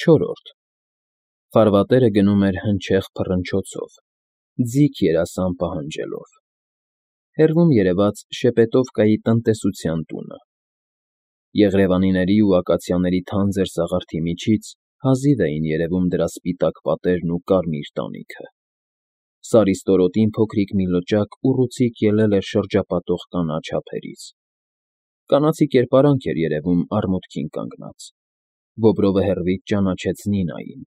Չորրորդ Ֆարվատերը գնում էր հնչեղ փռնչոցով, ձիգ երասան պահանջելով. հեռվում երևաց Շեպետովկայի տնտեսության տունը. Եղրևանիների ու ակացիաների թանձր սաղարթի միջից հազիվ էին երևում դրա սպիտակ պատերն ու կարմիր տանիքը. Սարի ստորոտին փոքրիկ մի լճակ ուռուցիկ ելել էր շրջապատող կանաչ ափերից. կանացի կերպարանք էր երևում արմունկին կանգնած. Բոբրովը հեռվից ճանաչեց Նինային,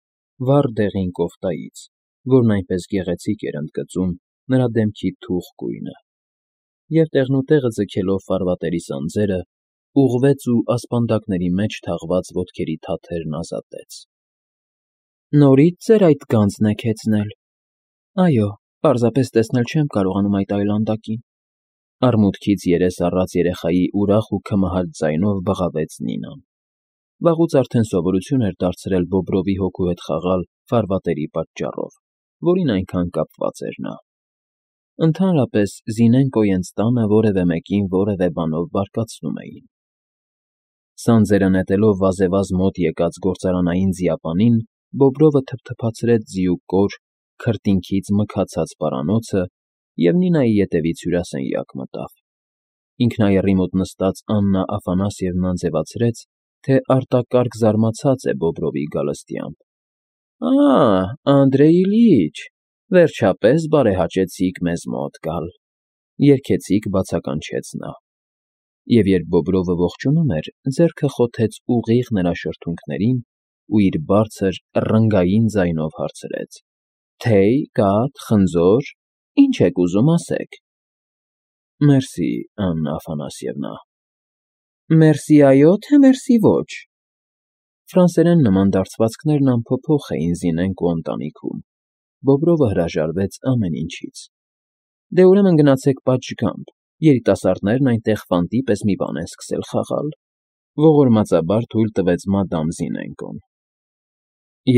վառ դեղին կոֆտայից, որն այնպես գեղեցիկ էր ընդգծում նրա դեմքի թուխ գույնը, և տեղնուտեղը ձգելով ֆարվատերի սանձերը, ուղղվեց ու ասպանդակների մեջ թաղված ոտքերի թաթերն ազատեց. Նորից ձեր այդ գանձն եք հեծնել։ Այո, պարզապես տեսնել չեմ կարողանում այդ այլանդակին, արմունկից երես առած երեխայի ուրախ ու քմահաճ ձայնով բղավեց Նինան. վաղուց արդեն սովորություն էր դարձրել Բոբրովի հոգու հետ խաղալ ֆարվատերի պատճառով, որին այնքան կապված էր նա. Ընդհանրապես Զինենկոյենց տանը որևէ մեկին որևէ բանով բարկացնում էին. Սանձերը նետելով վազևազ մոտ եկած գործարանային ձիապանին, Բոբրովը թփթփացրեց ձիուկոր, քրտինքից մքացած պարանոցը և Նինայի ետևից հյուրասենյակ մտավ. ինքնայեռի մոտ նստած Աննա Աֆանասьևնան ձևացրեց, թե արտակարգ զարմացած է Բոբրովի գալստյամբ. Անդրեյ Իլյիչ, վերջապես բարեհաճեցիք մեզ մոտ գալ, երգեցիկ բացականչեց նա, և երբ Բոբրովը ողջունում էր, ձեռքը խոթեց ուղիղ նրա շրթունքներին ու իր բարձր, ռնգային ձայնով հարցրեց. Թեյ, կաթ, խնձոր, ինչ եք ուզում ասեք։ Մերսի, Աննա Աֆանասьևնա։ Մերսի այո, թե մերսի ոչ։ Ֆրանսերեն նման դարձվածքներն անփոփոխ էին Զինենկո ընտանիքում. Բոբրովը հրաժարվեց ամեն ինչից։ Դե ուրեմն գնացեք պատշգամբ, երիտասարդներն այնտեղ ֆանտի պես մի բան են սկսել խաղալ, ողորմածաբար թույլ տվեց մադամ Զինենկոն։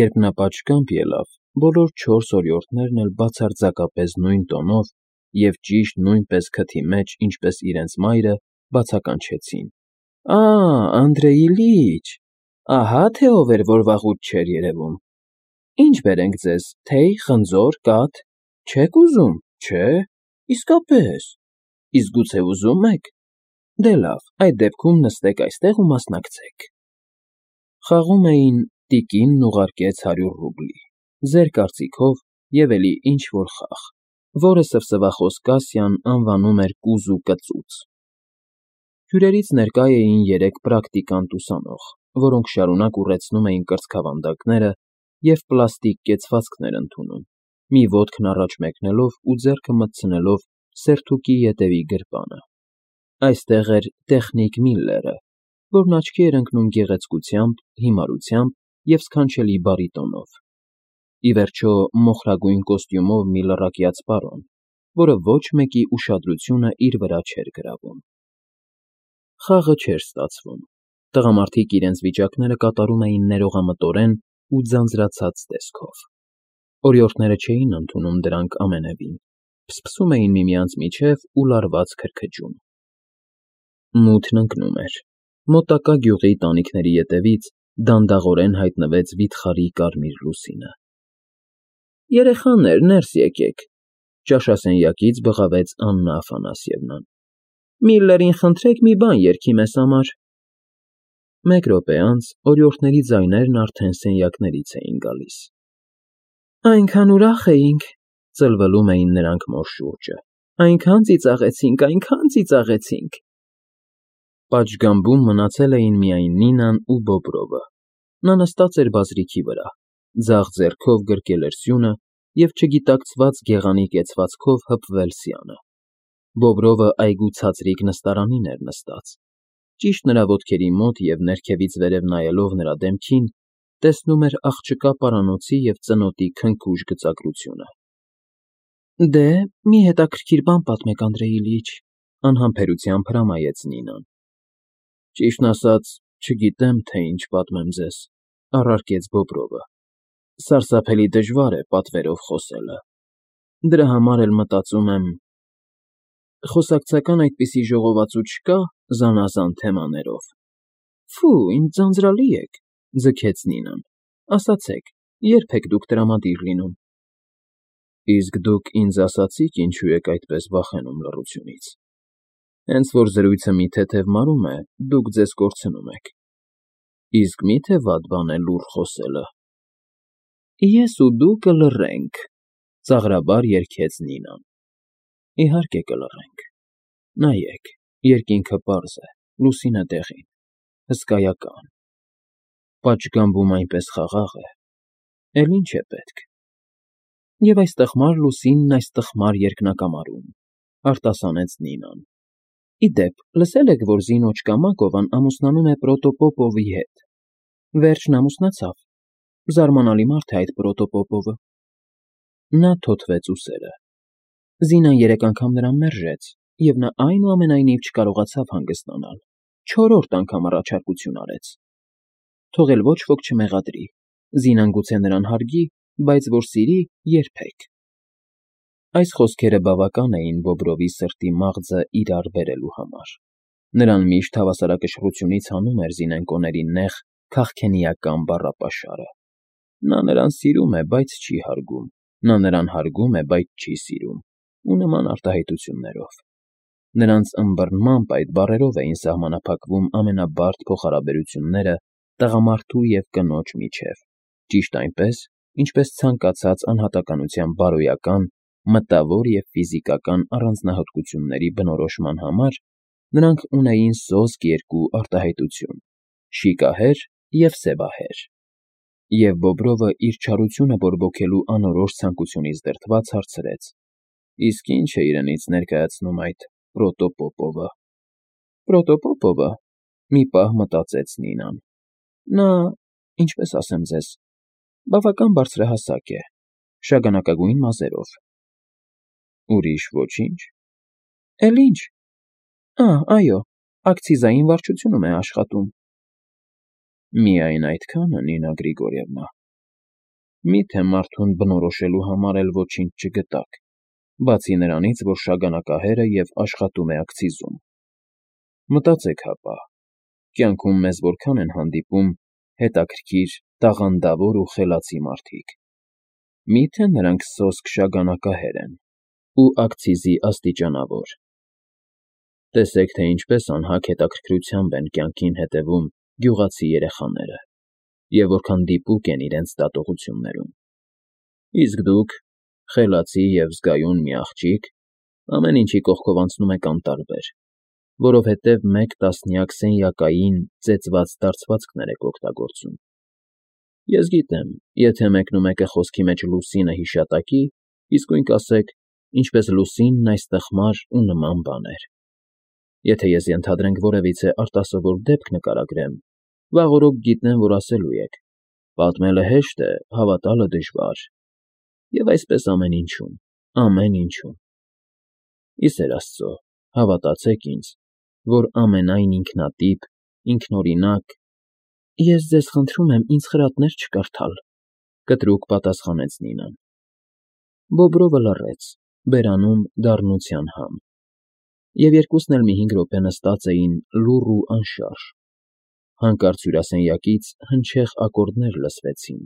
Երբ նա պատշգամբ ելավ, բոլոր 4 օրիորդներն էլ բացարձակապես նույն տոնով և ճիշտ նույնպես քթի մեջ, ինչպես իրենց մայրը, բացականչեցին. Անդրեյ Իլյիչ, ահա թե ով էր, որ վաղուց չէր երևում։ Ինչ բերենք ձեզ, թեյ, խնձոր, կաթ, չեք ուզում, չէ, իսկապես, իսկ գուցե ուզում եք։ Դե լավ, այդ դեպքում նստեք այստեղ ու մասնակցեք։ Խաղում էին տիկինն ուղարկեց 100 ռուբլի, ձեր կարծիքով և էլի ինչ-որ խաղ, որը սվսվախոս Կասյան անվանում էր կուզու կծուծ։ Հյուրերից ներկա էին 3 պրակտիկանտ ուսանող, որոնք շարունակ ուռեցնում էին կրծքավանդակները և պլաստիկ կեցվածքներ ընդունում, մի ոտքն առաջ մեկնելով ու ձեռքը մտցնելով սերթուկի ետևի գրպանը։ Այստեղ էր տեխնիկ Միլլերը, որն աչքի էր ընկնում գեղեցկությամբ, հիմարությամբ և սքանչելի բարիտոնով։ Ի վերջո մոխրագույն կոստյումով մի լռակյաց պարոն, որը ոչ մեկի ուշադրությունը իր վրա չէր գրավում։ Խաղը չէր ստացվում։ Տղամարդիկ իրենց վիճակները կատարում էին ներողամտորեն ու ձանձրացած տեսքով։ Օրիորդները չէին ընդունում դրանք ամենևին, փսփսում էին միմյանց միջև ու լարված քրքջում։ Մութն ընկնում էր։ Մոտակա գյուղի տանիքների ետևից դանդաղորեն հայտնվեց վիթխարի կարմիր լուսինը։ Երեխաներ, ներս եկեք, ճաշասենյակից բղավեց Աննա Աֆանասьևնան։ Միլլերին խնդրեք մի բան երգի մեզ համար։ Մեկ րոպե անց օրիորդների ձայներն արդեն սենյակներից էին գալիս։ Այնքան ուրախ էինք, ծլվլում էին նրանք մոր շուրջը։ Այնքան ծիծաղեցինք։ Պատշգամբում մնացել էին միայն Նինան ու Բոբրովը։ Նա նստած էր բազրիքի վրա, ձախ ձեռքով գրկել էր սյունը և չգիտակցված գեղանի կեցվածքով հպվել սյանը։ Բոբրովը այգու ցածրիկ նստարանին էր նստած, ճիշտ նրա ոտքերի մոտ և ներքևից վերև նայելով նրա դեմքին, տեսնում էր աղջկա պարանոցի և ծնոտի քնքուշ գծագրությունը։ Դե, մի հետաքրքիր բան պատմեք, Անդրեյ Իլյիչ, անհամբերությամբ հրամայեց Նինան։ Ճիշտն ասած, չգիտեմ, թե ինչ պատմեմ ձեզ, առարկեց Բոբրովը։ Սարսափելի դժվար է պատվերով խոսելը։ Դրա համար էլ մտածում եմ… Խոսակցական այդպիսի ժողովածու չկա զանազան թեմաներով։ Ֆու, ինչ ձանձրալի եք, ձգեց Նինան։ Ասացեք, երբ եք դուք տրամադիր լինում։ Իսկ դուք ինձ ասացիք ինչու եք այդպես վախենում լռությունից։ Հենց որ զրույցը մի թեթև մարում է, դուք ձեզ կորցնում եք։ Իսկ մի՞թե վատ բան է լուռ խոսելը։ Ես ու դու կլռենք, ծաղրաբար երգեց Նինան։ Իհարկե կլռենք։ Նայեք, երկինքը պարզ է, լուսինը դեղին, հսկայական։ Պատշգամբում այնպես խաղաղ է, էլ ինչ է պետք։ Եվ այս տխմար լուսինն այս տխմար երկնակամարում, արտասանեց Նինան։ Ի դեպ, լսել եք, որ Զինոչ Կամակովան ամուսնանում է Պրոտոպոպովի հետ։ Վերջն ամուսնացավ։ Զարմանալի մարդ է այդ Պրոտոպոպովը։ Նա թոթվեց ուսերը։ Զինան 3 անգամ նրան մերժեց, և նա այնուամենայնիվ չկարողացավ հանգստանալ։ 4-րդ անգամ առաջարկություն արեց։ Թող էլ ոչ ոք չմեղադրի։ Զինան գուցե նրան հարգի, բայց որ սիրի՝ երբեք։ Այս խոսքերը բավական էին Բոբրովի սրտի մաղձը իրար բերելու համար։ Նրան միշտ հավասարակշռությունից հանում էր զինենկոների նեղ, քաղքենիական բառապաշարը։ Նա նրան սիրում է, բայց չի հարգում, նա նրան հարգում է, բայց չի սիրում, ու նման արտահայտություններով։ Նրանց ըմբռնմամբ այդ բառերով էին սահմանափակվում ամենաբարդ փոխհարաբերությունները տղամարդու և կնոջ միջև, ճիշտ այնպես, ինչպես ցանկացած անհատականության բարոյական, մտավոր և ֆիզիկական առանձնահատկությունների բնորոշման համար նրանք ունեին սոսկ երկու արտահայտություն՝ շիկահեր և սևահեր։ Եվ Բոբրովը իր չարությունը բորբոքելու անորոշ ցանկությունից դրդված հարցրեց. Իսկ ի՞նչ է իրենից ներկայացնում այդ Պրոտոպոպովը։ Պրոտոպոպովը, մի պահ մտածեց Նինան։ Նա, ինչպես ասեմ ձեզ, բավական բարձրահասակ է, շագանակագույն մազերով։ Ուրիշ ոչինչ։ Էլ ինչ։ Այո, ակցիզային վարչությունում է աշխատում։ Միայն այդքա՞ն, Նինա Գրիգորիևնա։ Մի՞թե մարդուն բնորոշելու համար էլ ոչինչ չգտաք, բացի նրանից, որ շագանակահեր է և աշխատում է ակցիզում։ Մտածեք հապա, կյանքում մեզ որքան են հանդիպում հետաքրքիր, տաղանդավոր ու խելացի մարդիկ։ Մի՞թե նրանք սոսկ շագանակահեր են ու ակցիզի աստիճանավոր։ Տեսեք, թե ինչպես անհագ հետաքրքրությամբ են կյանքին հետևում գյուղացի երեխաները և որքան դիպուկ են իրենց դատողություններում։ Իսկ դուք, խելացի և զգայուն մի աղջիկ, ամեն ինչի կողքով անցնում եք անտարբեր, որովհետև մեկ տասնյակ սենյակային ծեծված դարձվածքներ եք օգտագործում։ Ես գիտեմ, եթե մեկնումեկը խոսքի մեջ լուսինը հիշատակի, իսկույն կասեք, ինչպես լուսինն այս տխմար ու նման բաներ։ Եթե ես ենթադրենք որևիցե արտասովոր դեպք նկարագրեմ, վաղօրոք գիտեմ, որ ասելու եք. պատմելը հեշտ է, հավատալը դժվար։ Եվ այսպես ամեն ինչում, ամեն ինչում։ Ի սեր Աստծո, հավատացեք ինձ, որ ամենայն ինքնատիպ, ինքնօրինակ… Ես ձեզ խնդրում եմ ինձ խրատներ չկարդալ, կտրուկ պատասխանեց Նինան։ Բոբրովը լռեց, բերանում դառնության համ։ Եվ երկուսն էլ մի 5 րոպե նստած էին լուռ ու անշարժ։ Հանկարծ հյուրասենյակից հնչեղ ակորդներ լսվեցին,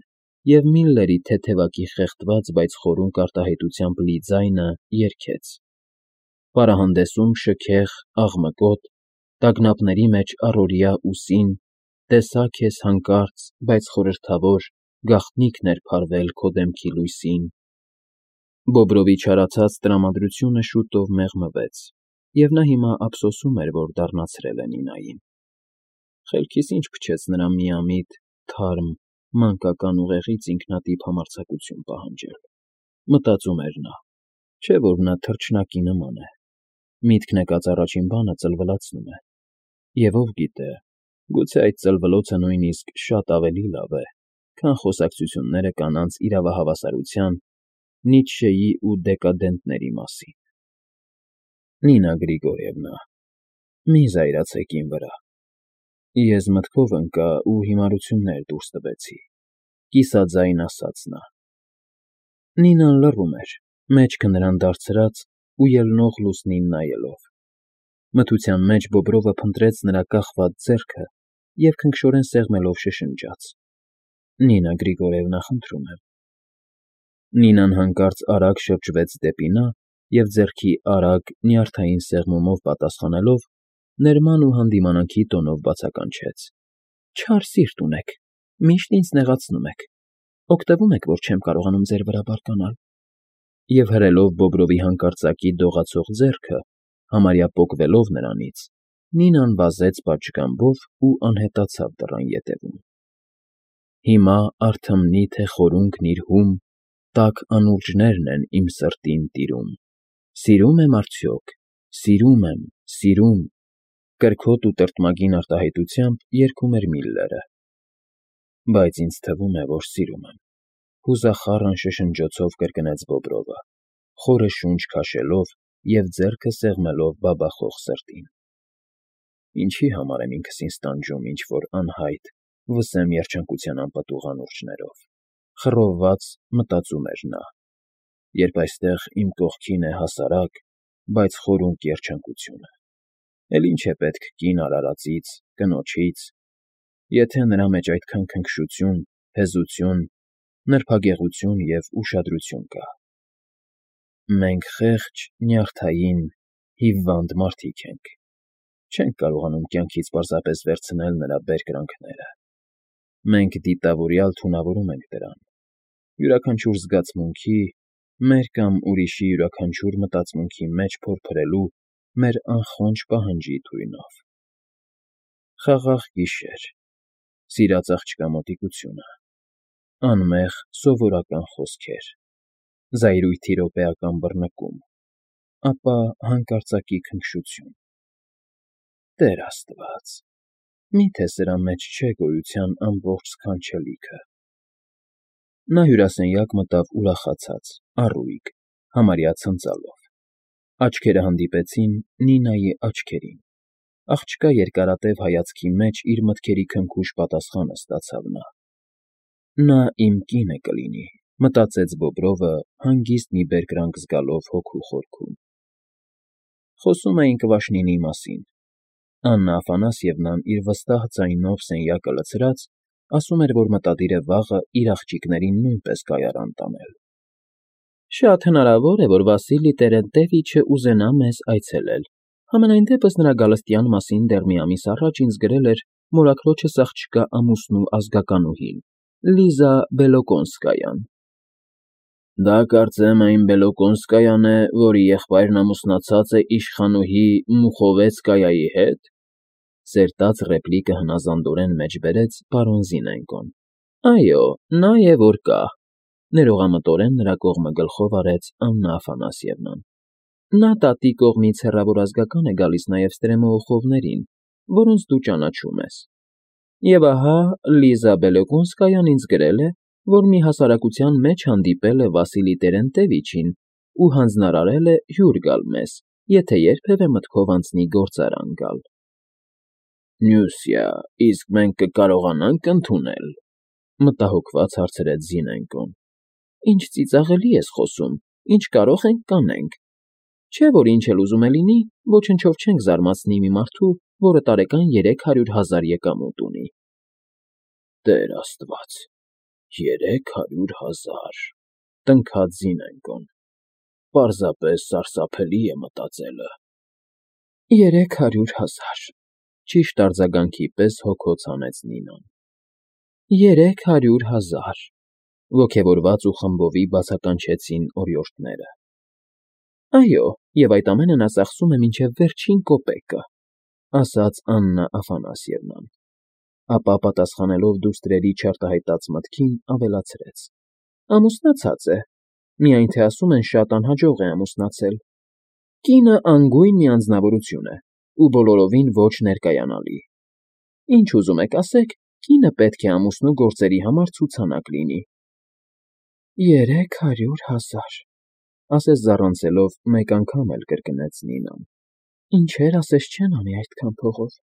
և Միլլերի թեթևակի խեղդված, բայց խորունկ արտահայտությամբ լի ձայնը երգեց. Պարահանդեսում շքեղ, աղմկոտ, տագնապների մեջ առօրյա ուսին, տեսա քեզ հանկարծ, բայց խորհրդավոր, գաղտնիքն էր փարվել քո դեմքի լույսին։ Բոբրովի չարացած տրամադրությունը շուտով մեղմվեց, և նա հիմա ափսոսում էր, որ դառնացրել է Նինային։ Խելքիս ինչ փչեց նրա միամիտ, թարմ, մանկական ուղեղից ինքնատիպ համարձակություն պահանջել, մտածում էր նա, չէ՞ որ նա թռչնակի նման է։ Միտքն եկած առաջին բանը ծլվլացնում է։ Եվ ով գիտե, գուցե այդ ծլվլոցը նույնիսկ շատ ավելի լավ է, քան խոսակցությունները կանանց իրավահավասարության, Նիցշեի ու դեկադենտների մասին։ Նինա Գրիգորիևնա, մի զայրացեք իմ վրա։ Ես մտքով ընկա ու հիմարություններ դուրս տվեցի, կիսաձայն ասաց նա։ Նինան լռում էր, մեջքը նրան դարձրած ու ելնող լուսնին նայելով։ Մթության մեջ Բոբրովը փնտրեց նրա կախված ձեռքը և քնքշորեն սեղմելով շշնջաց. Նինա Գրիգորևնա, խնդրում եմ։ Նինան հանկարծ արագ շրջվեց դեպի նա և ձեռքի արագ, նյարդային սեղմումով պատասխանելով, ներման ու հանդիմանանքի տոնով բացականչեց. Չար սիրտ ունեք, միշտ ինձ նեղացնում եք, օգտվում եք, որ չեմ կարողանում ձեր վրա բարկանալ։ Եվ հրելով Բոբրովի հանկարծակի դողացող ձեռքը, համարյա պոկվելով նրանից, Նինան վազեց պատշգամբով ու անհետացավ դռան ետևում։ Հիմա արթմնի թե խորունգն իր հում, տաք անուրջներն են իմ սրտին տիրում։ Սիրում եմ արդյոք, սիրում, կրքոտ ու տրտմագին արտահայտությամբ երգում էր Միլլերը։ Բայց ինձ թվում է, որ սիրում եմ, հուզախառն շշնջոցով կրկնեց Բոբրովը, խորը շունչ քաշելով և ձեռքը սեղմելով բաբախող սրտին։ Ինչի համար եմ ինքս ինձ տանջում ինչ-որ անհայտ, վսեմ երջանկության անպտուղ անուրջներով, խռովված մտածում էր նա, երբ այստեղ իմ կողքին է հասարակ, բայց խորունկ երջանկությունը։ Էլ ինչ է պետք կին արարածից, կնոջից, եթե նրա մեջ այդքան քնքշություն, հեզություն, նրբագեղություն և ուշադրություն կա։ Մենք խեղճ, նյարդային, հիվանդ մարդիկ ենք, չենք կարողանում կյանքից պարզապես վերցնել նրա բերկրանքները։ Մենք դիտավորյալ թունավորում ենք դրան, յուրաքանչյուր զգացմունքի, մեր կամ ուրիշի յուրաքանչյուր մտածմունքի մեջ փորփրելու մեր անխոնջ պահանջի թույնով։ Խաղաղ գիշեր, սիրած աղջկա մոտիկությունը, անմեղ սովորական խոսքեր, զայրույթի րոպեական բռնկում, ապա հանկարծակի քնքշություն։ Տեր Աստված, մի՞թե սրա մեջ չէ գոյության ամբողջ սքանչելիքը։ Նա հյուրասենյակ մտավ ուրախացած, առույգ, համարյա ցնծալով։ Աչքերը հանդիպեցին Նինայի աչքերին։ Աղջկա երկարատև հայացքի մեջ իր մտքերի քնքուշ պատասխանը ստացավ նա։ Նա իմ կինը կլինի, մտածեց Բոբրովը, հանգիստ մի բերկրանք զգալով հոգու խորքում։ Խոսում էին Կվաշնինի մասին։ Աննա Աֆանասьևնան իր վստահ ձայնով սենյակը լցրած, ասում էր, որ մտադիր է վաղը իր աղջիկներին նույնպես կայարան տանել։ Շատ հնարավոր է, որ Վասիլի Տերենտևիչը ուզենա մեզ այցելել։ Համենայն դեպս նրա գալստյան մասին դեռ մի ամիս առաջ ինձ գրել էր մորաքրոջս աղջկա ամուսնու ազգականուհին, Լիզա Բելոկոնսկայան։ Դա կարծեմ այն Բելոկոնսկայան է, որի եղբայրն ամուսնացած է իշխանուհի Մուխովեցկայայի հետ, սերտած ռեպլիկը հնազանդորեն մեջբերեց պարոն Զինենկոն։ Այո, նա է որ կա, ներողամտորեն նրա կողմը գլխով արեց Աննա Աֆանասьևնան։ Նա տատի կողմից հեռավոր ազգական է գալիս նաև Ստրեմոուխովներին, որոնց դու ճանաչում ես։ Եվ ահա Լիզա Բելոկոնսկայան ինձ գրել է, որ մի հասարակության մեջ հանդիպել է Վասիլի Տերենտևիչին ու հանձնարարել է հյուր գալ մեզ, եթե երբևէ մտքով անցնի գործարան գալ։ Նյուսյա, իսկ մենք կկարողանանք ընդունել, մտահոգված հարցրեց Զինենկոն։ Ինչ ծիծաղելի ես խոսում, ինչ կարող ենք կանենք։ Չէ՞ որ ինչ էլ ուզում է լինի, ոչնչով չենք զարմացնի մի մարդու, որը տարեկան 300,000 եկամուտ ունի։ Տեր Աստված, 300,000, տնքաց Զինենկոն։ Պարզապես սարսափելի է մտածելը։ 300,000, ճիշտ արձագանքի պես հոգոց հանեց Նինան։ 300,000, ոգևորված ու խմբովի բացականչեցին օրիորդները։ Այո, և այդ ամենը նա ծախսում է մինչև վերջին կոպեկը, ասաց Աննա Աֆանասьևնան, ապա պատասխանելով դուստրերի չարտահայտած մտքին, ավելացրեց. Ամուսնացած է, միայն թե ասում են շատ անհաջող է ամուսնացել։ Կինը անգույն մի անձնավորություն է ու բոլորովին ոչ ներկայանալի։ Ինչ ուզում եք ասեք, կինը պետք է ամուսնու գործերի համար ցուցանակ լինի։ 300,000, ասես զառանցելով մեկ անգամ էլ կրկնեց Նինան։ Ինչեր ասես չեն անի այդքան փողով։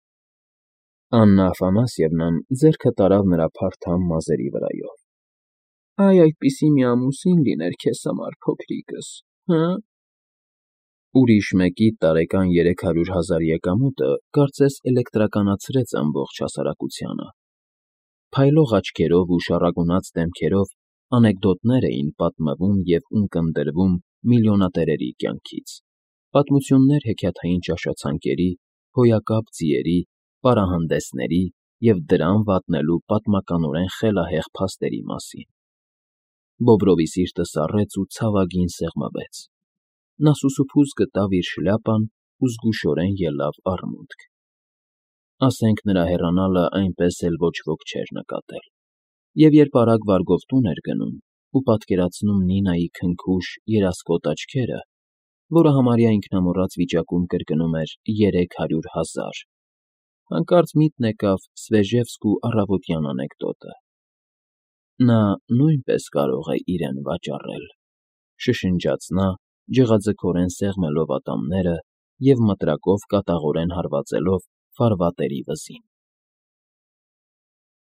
Աննա Աֆանասьևնան ձեռքը տարավ նրա փարթամ մազերի վրայով։ Այ այդպիսի մի ամուսին լիներ քեզ համար, փոքրիկս, հը՞։ Ուրիշ մեկի տարեկան 300,000 եկամուտը կարծես էլեկտրականացրեց ամբողջ հասարակությանը։ Փայլող աչքերով ու շառագունած դեմքերով անեկդոտներ էին պատմվում և ունկնդրվում միլիոնատերերի կյանքից, պատմություններ հեքիաթային ճաշացանկերի, հոյակապ ձիերի, պարահանդեսների և դրան վատնելու պատմականորեն խելահեղ փաստերի մասին։ Բոբրովի սիրտը սառեց ու ցավագին սեղմվեց։ Նա սուսուփուզ գտավ իր շլյապան ու զգուշորեն ելավ առմուտք։ Ասենք նրա հեռանալը այնպես էլ ոչ ոք չէր նկատել, և երբ արագ վարգով տուն էր գնում ու պատկերացնում Նինայի քնքուշ, երասկոտ աչքերը, որը համարյա ինքնամոռաց վիճակում կրկնում էր 300,000, հանկարծ միտն եկավ Սվեժևսկու առավոտյան անեկդոտը. «Նա նույնպես կարող է իրեն վաճառել», շշնջաց նա, ջղաձգորեն սեղմելով ատամները և մտրակով կատաղորեն հարվածելով ֆարվատերի վզին։